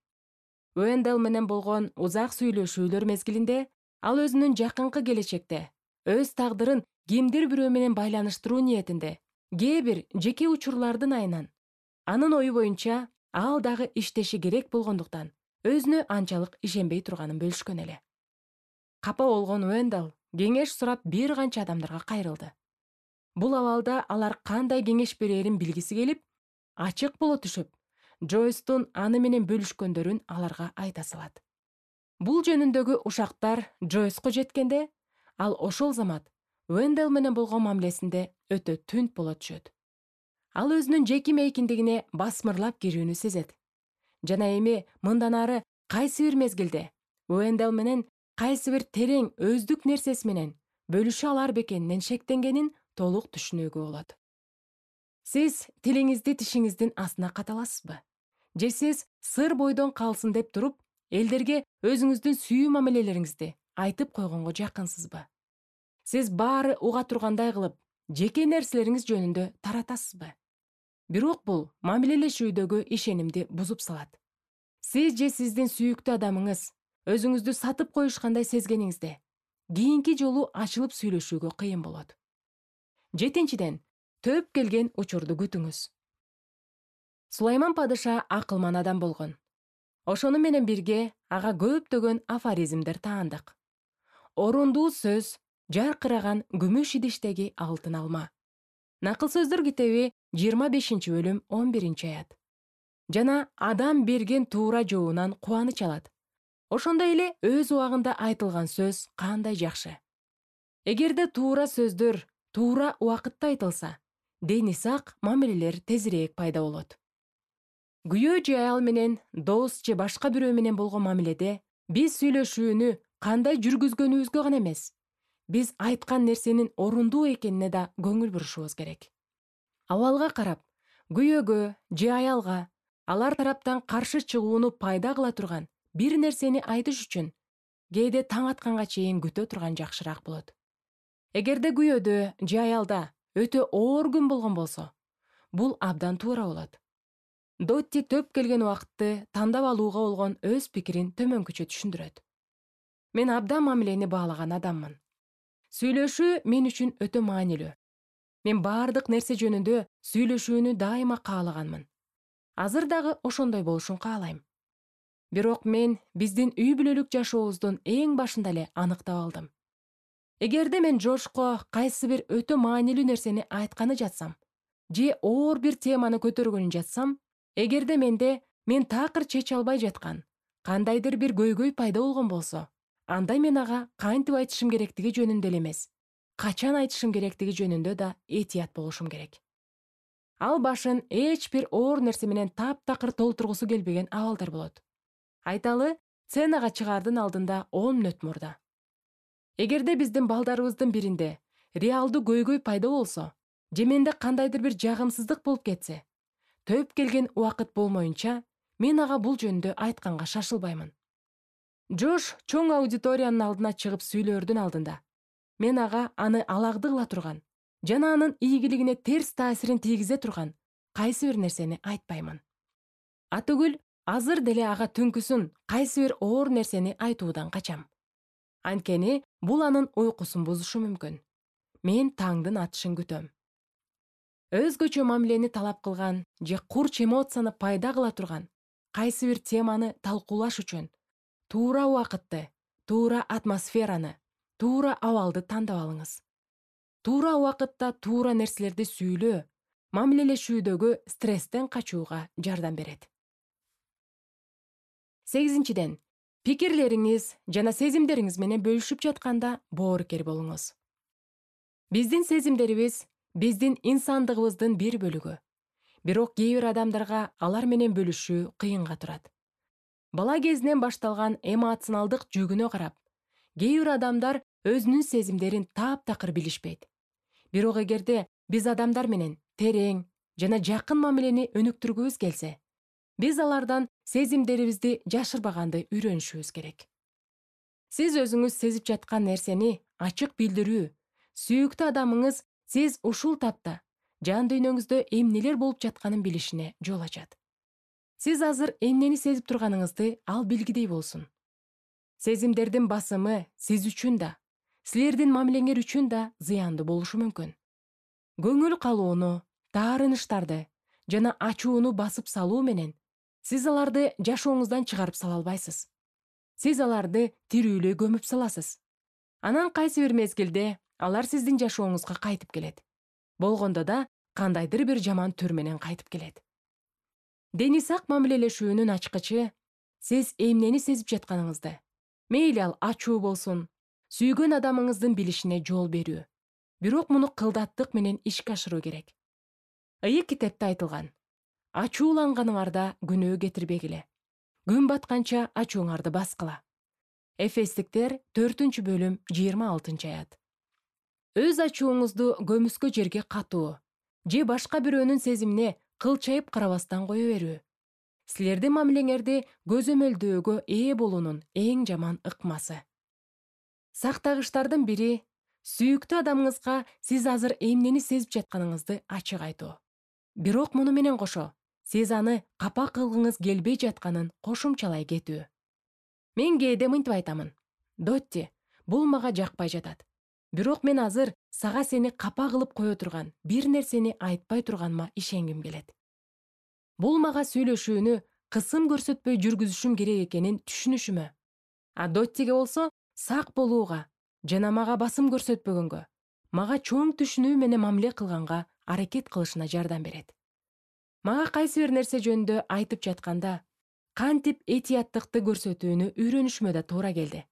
Уэндел менен болгон узак сүйлөшүүлөр мезгилинде ал өзүнүн жакынкы келечекте өз тагдырын кимдир бирөө менен байланыштыруу ниетинде кээ бир жеке учурлардын айынан анын ою боюнча ал дагы иштеши керек болгондуктан өзүнө анчалык ишенбей турганын бөлүшкөн эле. Капа болгон Уэндел кеңеш сурап бир канча адамдарга кайрылды. Бул абалда алар кандай кеңеш берерин билгиси келип, ачык боло түшүп, Джойстун аны менен бөлүшкөндөрүн аларга айта салат. Бул жөнүндөгү ушактар Джойско жеткенде, ал ошол замат Уэндел менен болгон мамилесинде өтө түнт боло түшөт. Ал өзүнүн жеки мейкиндигине басмырлап кирүүнү сезет. Жана эми мындан ары кайсы бир мезгилде Уэндел менен кайсы бир терең өздүк нерсеси менен бөлүшө алар бекенинен шектенгенин толук түшүнүүгө болот. Сиз тилиңизди тишиңиздин астына каталасызбы? Же сиз сыр бойдон калсын деп туруп, элдерге өзүңүздүн сүйүү мамилелериңизди айтып койгонго жакынсызбы? Сиз баары уга тургандай кылып, жеке нерселериңиз жөнүндө таратасызбы? Бирок бул мамилелешүүдөгү ишенимди бузуп салат. Сиз же сиздин сүйүктүү адамыңыз өзүңүздү сатып коюшкандай сезгениңизде, кийинки жолу ачылып сүйлөшүүгө кыйын болот. Жетинчиден, төп келген учурду күтүңүз. Сулайман падыша акылман адам болгон. Ошону менен бирге ага көптөгөн афоризмдер таандык. Орундуу сөз, жаркыраган күмүш идиштеги алтын алма. Накыл сөздөр китеби жыйырма бешинчи бөлүм он биринчи аят. Жана адам берген туура жообунан кубаныч алат. Ошондой эле өз убагында айтылган сөз кандай жакшы. Эгерде туура сөздөр туура убакытта айтылса, дени сак мамилелер тезирээк пайда болот. Күйөө же аял менен, дос же башка бирөө менен болгон мамиледе биз сүйлөшүүнү кандай жүргүзгөнүбүзгө гана эмес, биз айткан нерсенин орундуу экенине да көңүл бурушубуз керек. Абалга карап, күйөөгө же аялга алар тараптан каршы чыгууну пайда кыла турган бир нерсени айтыш үчүн кээде таң атканга чейин күтө турган жакшыраак болот. Эгерде күйөөдө же аялда өтө оор күн болгон болсо, бул абдан туура болот. Дотти төп келген убакытты тандап алууга болгон өз пикирин төмөнкүчө түшүндүрөт. Мен абдан мамилени баалаган адаммын. Сүйлөшүү мен үчүн өтө маанилүү. Мен баардык нерсе жөнүндө сүйлөшүүнү дайыма каалаганмын. Азыр дагы ошондой болушун каалайм. Бирок мен биздин үй бүлөлүк жашообуздун эң башында эле аныктап алдым. Эгерде мен Жошко кайсы бир өтө маанилүү нерсени айтканы жатсам, же оор бир теманы көтөргөнү жатсам, эгерде менде мен такыр чече албай жаткан кандайдыр бир көйгөй пайда болгон болсо, анда мен ага кантип айтышым керектиги жөнүндө эле эмес, качан айтышым керектиги жөнүндө да этият болушум керек. Ал башын эч бир оор нерсе менен таптакыр толтургусу келбеген абалдар болот. Айталы, сценага чыгаардын алдында он мүнөт мурда. Эгерде биздин балдарыбыздын биринде реалдуу көйгөй пайда болсо, же менде кандайдыр бир жагымсыздык болуп кетсе, төп келген убакыт болмоюнча, мен ага бул жөнүндө айтканга шашылбаймын. Жош чоң аудиториянын алдына чыгып сүйлөөрдүн алдында мен ага аны алагды кыла турган жана анын ийгилигине терс таасирин тийгизе турган кайсы бир нерсени айтпаймын. Атүгүл азыр деле ага түнкүсүн кайсы бир оор нерсени айтуудан качам. Анткени бул анын уйкусун бузушу мүмкүн. Мен таңдын атышын күтөм. Өзгөчө мамилени талап кылган же курч эмоцияны пайда кыла турган кайсы бир теманы талкуулаш үчүн туура убакытты, туура атмосфераны, туура абалды тандап алыңыз. Туура убакытта туура нерселерди сүйлөө мамилелешүүдөгү стресстен качууга жардам берет. Сегизинчиден, пикирлериңиз жана сезимдериңиз менен бөлүшүп жатканда боорукер болуңуз. Биздин сезимдерибиз биздин инсандыгыбыздын бир бөлүгү. Бирок кээ бир адамдарга алар менен бөлүшүү кыйынга турат. Бала кезинен башталган эмоционалдык жүгүнө карап, кээ бир адамдар өзүнүн сезимдерин таптакыр билишпейт. Бирок эгерде биз адамдар менен терең, жана жакын мамилени өнүктүргүбүз келсе, биз алардан сезимдерибизди жашырбаганды үйрөнүшүбүз керек. Сиз өзүңүз сезип жаткан нерсени ачык билдирүү, сүйүктүү адамыңыз сиз ушул тапта жан дүйнөңүздө эмнелер болуп жатканын билишине жол ачат. Сиз азыр эмнени сезип турганыңызды ал билгидей болсун. Сезимдердин басымы сиз үчүн да, силердин мамилеңер үчүн да зыяндуу болушу мүмкүн. Көңүл калууну, таарынычтарды жана ачууну басып салуу менен сиз аларды жашооңуздан чыгарып сала албайсыз. Сиз аларды тирүүлөй көмүп саласыз. Анан кайсы бир мезгилде алар сиздин жашооңузга кайтып келет. Болгондо да кандайдыр бир жаман түр менен кайтып келет. Дени сак мамилелешүүнүн ачкычы сиз эмнени сезип жатканыңызды, мейли ал ачуу болсун, сүйгөн адамыңыздын билишине жол берүү. Бирок муну кылдаттык менен ишке ашыруу керек. Ыйык китепте айтылган: ачууланганыңарда күнөө кетирбегиле. Күн батканча ачууңарды баскыла. Эфестиктер төртүнчү бөлүм жыйырма алтынчы аят. Өз ачууңузду көмүскө жерге катуу же башка бирөөнүн сезимине кылчайып карабастан кое берүү. Силердин мамилеңерди көзөмөлдөөгө ээ болуунун эң жаман ыкмасы. Сактагычтардын бири сүйүктүү адамыңызга сиз азыр эмнени сезип жатканыңызды ачык айтуу. Бирок муну менен кошо, сиз аны капа кылгыңыз келбей жатканын кошумчалай кетүү. Мен кээде мынтип айтамын: Дотти, бул мага жакпай жатат. Бирок мен азыр сага сени капа кылып кое турган бир нерсени айтпай турганыма ишенгим келет. Бул мага сүйлөшүүнү кысым көрсөтпөй жүргүзүшүм керек экенин түшүнүшүмө. А Доттиге болсо сак болууга жана мага басым көрсөтпөгөнгө, мага чоң түшүнүү менен мамиле кылганга аракет кылышына жардам берет. Мага кайсы бир нерсе жөнүндө айтып жатканда кантип этияттыкты көрсөтүүнү үйрөнүшүмө да туура келди.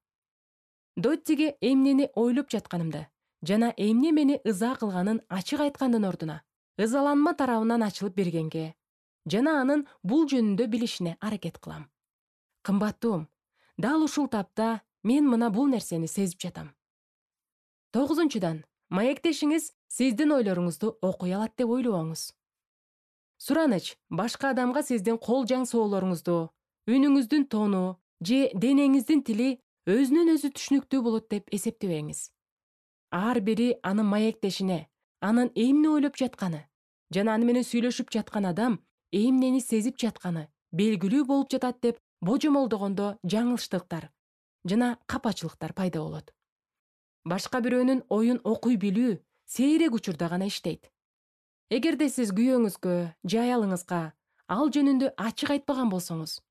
Доттиге эмнени ойлоп жатканымды жана эмне мени ыза кылганын ачык айткандын ордуна ызаланма тарабынан ачылып бергенге жана анын бул жөнүндө билишине аракет кылам. Кымбаттуум, дал ушул тапта мен мына бул нерсени сезип жатам. Тогузунчудан, маектешиңиз сиздин ойлоруңузду окуй алат деп ойлобоңуз. Сураныч башка адамга сиздин кол жаң соолоруңузду, үнүңүздүн тону же денеңиздин тили өзүнөн өзү түшүнүктүү болот деп эсептебеңиз. Ар бири анын маектешине, анын эмне ойлоп жатканы жана аны менен сүйлөшүп жаткан адам эмнени сезип жатканы белгилүү болуп жатат деп божомолдогондо жаңылыштыктар жана капачылыктар пайда болот. Башка бирөөнүн оюн окуй билүү сейрек учурда гана иштейт. Эгерде сиз күйөөңүзгө же аялыңызга ал жөнүндө ачык айтпаган болсоңуз,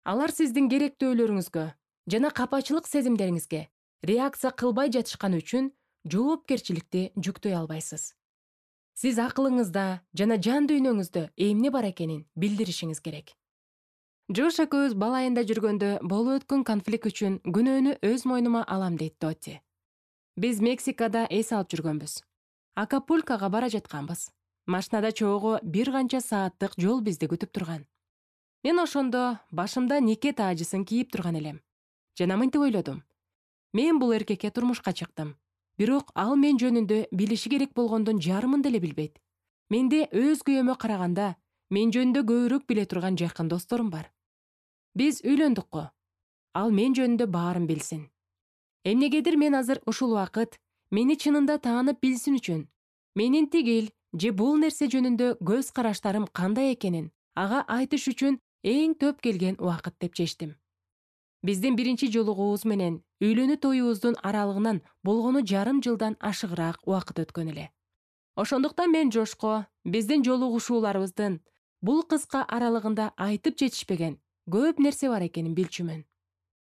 алар сиздин керектөөлөрүңүзгө жана капачылык сезимдериңизге реакция кылбай жатышканы үчүн жоопкерчиликти жүктөй албайсыз. Сиз акылыңызда жана жан дүйнөңүздө эмне бар экенин билдиришиңиз керек. Жош экөөбүз бала айында жүргөндө болуп өткөн конфликт үчүн күнөөнү өз мойнума алам дейт Дотти. Биз Мексикада эс алып жүргөнбүз. Акапулкога бара жатканбыз. Машинада чогуу бир канча сааттык жол бизди күтүп турган. Мен ошондо башымда нике таажысын кийип турган элем. Жана мынтип ойлодум: мен бул эркекке турмушка чыктым. Бирок ал мен жөнүндө билиши керек болгондун жарымын деле билбейт. Менде өз күйөөмө караганда мен жөнүндө көбүрөөк биле турган жакын досторум бар. Биз үйлөндүк го. Ал мен жөнүндө баарын билсин. Эмнегедир мен азыр ушул убакыт мени чынында таанып билсин үчүн, менин тигил же бул нерсе жөнүндө көз караштарым кандай экенин ага айтыш үчүн эң төп келген убакыт деп чечтим. Биздин биринчи жолугуубуз менен үйлөнүү тоюбуздун аралыгынан болгону жарым жылдан ашыгыраак убакыт өткөн эле. Ошондуктан мен Жошко биздин жолугушууларыбыздын бул кыска аралыгында айтып жетишпеген көп нерсе бар экенин билчүмүн.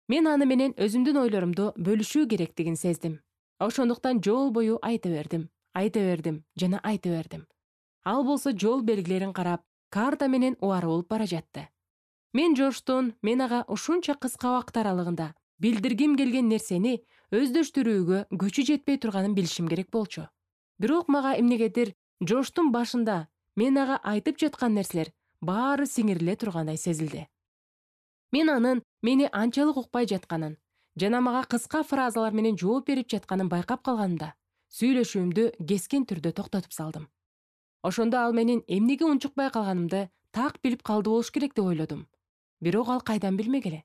Мен аны менен өзүмдүн ойлорумду бөлүшүү керектигин сездим. Ошондуктан жол бою айта бердим, айта бердим жана айта бердим. Ал болсо жол белгилерин карап, карта менен убары болуп бара жатты. Мен Жоштун мен ага ушунча кыска убакыт аралыгында билдиргим келген нерсени өздөштүрүүгө көчү жетпей турганын билишим керек болчу. Бирок мага эмнегедир Жоштун башында мен ага айтып жаткан нерселер баары сиңириле тургандай сезилди. Мен анын мени анчалык укпай жатканын жана мага кыска фразалар менен жооп берип жатканын байкап калганымда, сүйлөшүүмдү кескен түрдө токтотуп салдым. Ошондо ал менин эмнеге унчукпай калганымды так билип калды болуш керек деп ойлодум. Бирок ал кайдан билмек эле?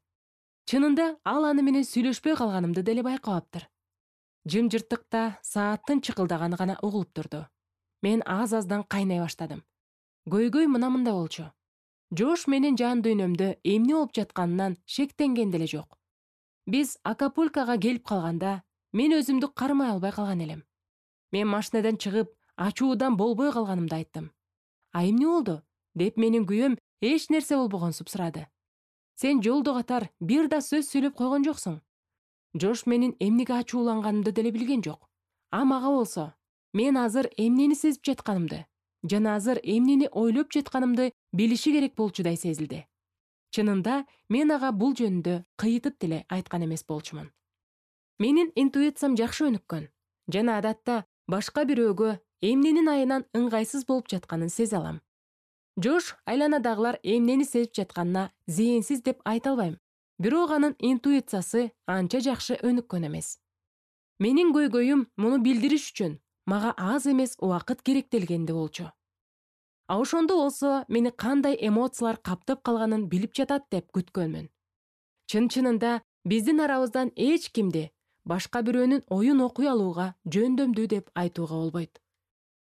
Чынында ал аны менен сүйлөшпөй калганымды деле байкабаптыр. Жымжырттыкта сааттын чыкылдаганы гана угулуп турду. Мен аз-аздан кайнай баштадым. Көйгөй мына мындай болчу. Жош менин жан дүйнөмдө эмне болуп жатканынан шектенген деле жок. Биз Акапулкога келип калганда мен өзүмдү кармай албай калган элем. Мен машинадан чыгып, ачуудан болбой калганымды айттым. А эмне болду? Деп менин күйөөм эч нерсе болбогонсуп сурады. Сен жолдо катар бир да сөз сүйлөп койгон жоксуң. Жош менин эмнеге ачууланганымды деле билген жок. А мага болсо, мен азыр эмнени сезип жатканымды, жана азыр эмнени ойлоп жатканымды билиши керек болчудай сезилди. Чынында мен ага бул жөнүндө кыйытып деле айткан эмес болчумун. Менин интуициям жакшы өнүккөн жана адатта башка бирөөгө эмненин айынан ыңгайсыз болуп жатканын сезе алам. Жош айланадагылар эмнени сезип жатканына зээнсиз деп айта албайм. Бирок анын интуициясы анча жакшы өнүккөн эмес. Менин көйгөйүм муну билдириш үчүн мага аз эмес убакыт керектелгенди болчу. А ошондо болсо мени кандай эмоциялар каптап калганын билип жатат деп күткөнмүн. Чын-чынында биздин арабыздан эч кимди башка бирөөнүн оюн окуй алууга жөндөмдүү деп айтууга болбойт.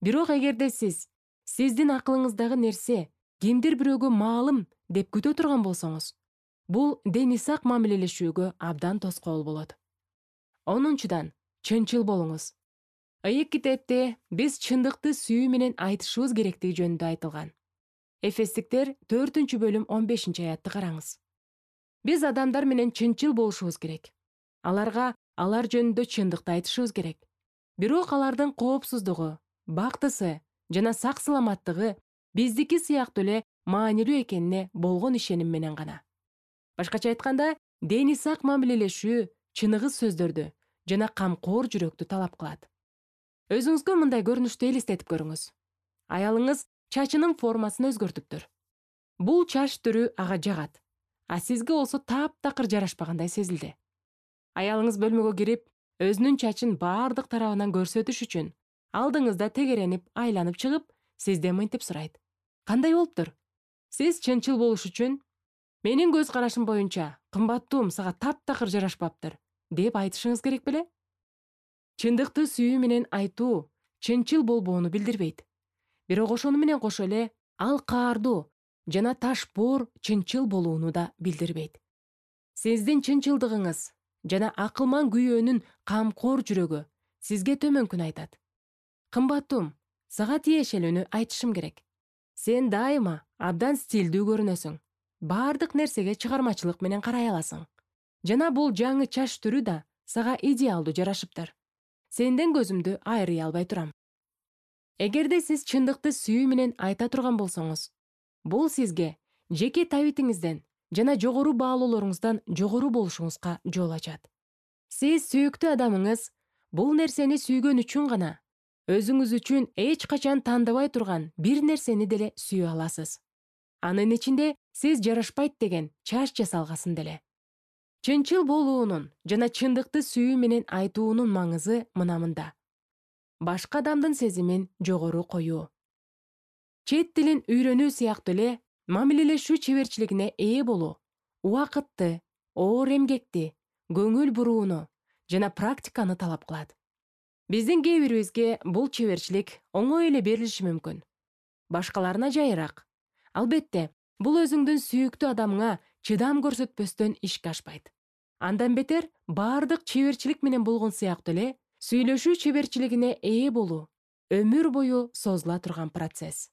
Бирок эгерде сиз сиздин акылыңыздагы нерсе кимдир бирөөгө маалым деп күтө турган болсоңуз, бул денисак мамилелешүүгө абдан тоскоол болот. Онунчудан, чынчыл болуңуз. Ыйык китепте биз чындыкты сүйүү менен айтышыбыз керектиги жөнүндө айтылган. Эфестиктер төртүнчү бөлүм он бешинчи аятты караңыз. Биз адамдар менен чынчыл болушубуз керек. Аларга алар жөнүндө чындыкты айтышыбыз керек. Бирок алардын коопсуздугу, бактысы жана сак-саламаттыгы биздики сыяктуу эле маанилүү экенине болгон ишеним менен гана. Башкача айтканда, денисак мамилелешүү чыныгыз сөздөрдү жана камкор жүрөктү талап кылат. Өзүңүзгө мындай көрүнүштү элестетип көрүңүз. Аялыңыз чачынын формасын өзгөртүптүр. Бул чач түрү ага жагат, а сизге болсо таптакыр жарашпагандай сезилди. Аялыңыз бөлмөгө кирип, өзүнүн чачын баардык тарабынан көрсөтүш үчүн алдыңызда тегеренип, айланып чыгып, сизден мынтип сурайт. Кандай болуптур? Сиз чынчыл болуш үчүн менин көз карашым боюнча кымбаттуум сага таптакыр жарашпаптыр деп айтышыңыз керек беле? Чындыкты сүйүү менен айтуу чынчыл болбоону билдирбейт. Бирок ошону менен кошо эле ал каардуу жана ташпоор чынчыл болууну да билдирбейт. Сиздин чынчылдыгыңыз жана акылман күйөөнүн камкор жүрөгү сизге төмөнкүн айтат. Кымбаттуум, сага тиешелүүнү айтышым керек. Сен дайыма абдан стилдүү көрүнөсүң. Баардык нерсеге чыгармачылык менен карай аласың. Жана бул жаңы чач түрү да сага идеалдуу жарашыптыр. Сенден көзүмдү айрый албай турам. Эгерде сиз чындыкты сүйүү менен айта турган болсоңуз, бул сизге жеке табитиңизден жана жогору баалоолоруңуздан жогору болушуңузга жол ачат. Сиз сүйүктүү адамыңыз бул нерсени сүйгөн үчүн гана өзүңүз үчүн эч качан тандабай турган бир нерсени деле сүйө аласыз. Анын ичинде сиз жарашпайт деген чач жасалгасын деле. Чынчыл болуунун жана чындыкты сүйүү менен айтуунун маңызы мына мында. Башка адамдын сезимин жогору коюу. Чет тилин үйрөнүү сыяктуу эле мамилелешүү чеберчилигине ээ болуу, убакытты, оор эмгекти, көңүл бурууну жана практиканы талап кылат. Биздин кээ бирибизге бул чеберчилик оңой эле берилиши мүмкүн. Башкаларына жайыраак. Албетте, бул өзүңдүн сүйүктүү адамыңа чыдам көрсөтпөстөн ишке ашпайт. Андан бетер баардык чеберчилик менен болгон сыяктуу эле сүйлөшүү чеберчилигине ээ болуу өмүр бою созула турган процесс.